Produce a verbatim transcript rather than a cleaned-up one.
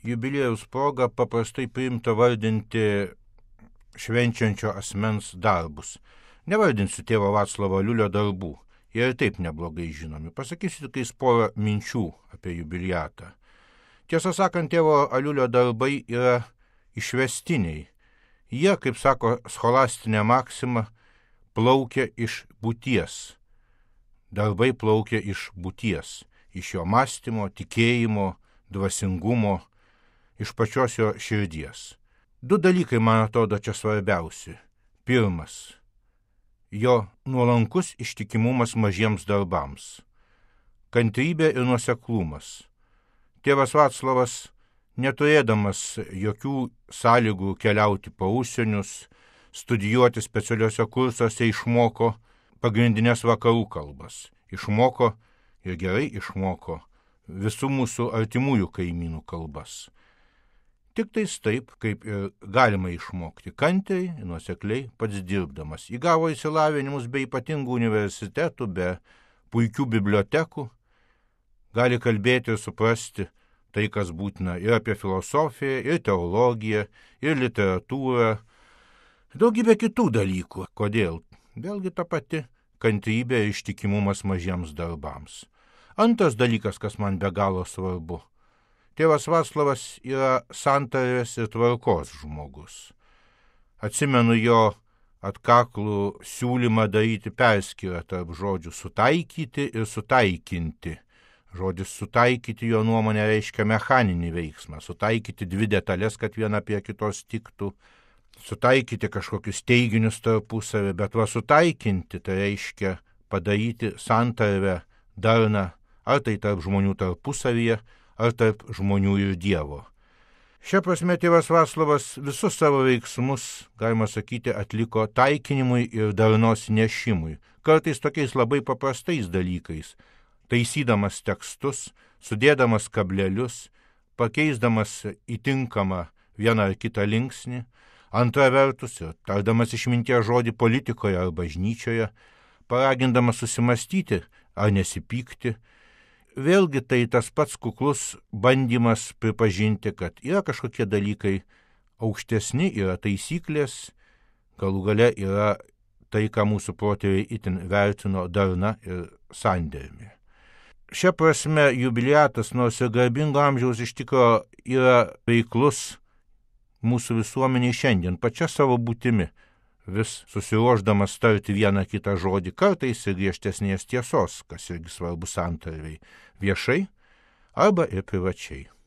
jubiliejaus proga paprastai priimta vardinti švenčiančio asmens darbus. Nevardinsiu tėvo Vaclovo Aliulio darbų, jie ir taip neblogai žinomi. Pasakysiu tiktais porą minčių apie jubiliatą. Tiesą sakant, tėvo Aliulio darbai yra išvestiniai. Jie, kaip sako scholastinė maksima, plaukia iš būties. Darbai plaukia iš būties, iš jo mąstymo, tikėjimo, dvasingumo, iš pačios jo širdies. Du dalykai, man atrodo, čia svarbiausi. Pirmas – jo nuolankus ištikimumas mažiems darbams. Kantrybė ir nuoseklumas. Tėvas Vaclovas, neturėdamas jokių sąlygų keliauti po užsienius, studijuoti specialiuose kursuose, išmoko pagrindinės vakarų kalbas. Išmoko ir gerai išmoko visų mūsų artimųjų kaimynų kalbas. Tik tais taip, kaip ir galima išmokti kantriai, nuosekliai, pats dirbdamas. Įgavo išsilavinimus be ypatingų universitetų, be puikių bibliotekų. Gali kalbėti ir suprasti tai, kas būtina ir apie filosofiją, ir teologiją, ir literatūrą, daugybė kitų dalykų. Kodėl? Vėlgi ta pati kantrybė ir ištikimumas mažiems darbams. Antras dalykas, kas man be galo svarbu. Tėvas Vaclovas yra santarvės ir tvarkos žmogus. Atsimenu jo atkaklų siūlymą daryti perskyrą tarp žodžių sutaikyti ir sutaikinti. Žodis sutaikyti jo nuomonė reiškia mechaninį veiksmą, sutaikyti dvi detalės, kad viena prie kitos tiktų, sutaikyti kažkokius teiginius tarpusavį, bet va sutaikinti tai reiškia padaryti santarvę darną, ar tai tarp žmonių tarpusavyje, ar tarp žmonių ir Dievo. Šia prasme tėvas Vaclovas visus savo veiksmus, galima sakyti, atliko taikinimui ir darnos nešimui, kartais tokiais labai paprastais dalykais, taisydamas tekstus, sudėdamas kablelius, pakeisdamas įtinkamą vieną ar kitą linksnį, antra vertus ir tardamas išminties žodį politikoje ar bažnyčioje, paragindamas susimastyti ar nesipykti. Vėlgi tai tas pats kuklus bandymas pripažinti, kad yra kažkokie dalykai aukštesni, yra taisyklės, galų gale yra tai, ką mūsų protėviai itin vertino darna ir sandėrimi. Šia prasme jubiliatas, nors ir garbingo amžiaus, iš tikro yra veiklus mūsų visuomeniai šiandien, pačia savo būtimi, vis susiruošdamas tarti vieną kitą žodį, kartais ir griežtesnės tiesos, kas irgi svarbu santarvei, viešai arba ir privačiai.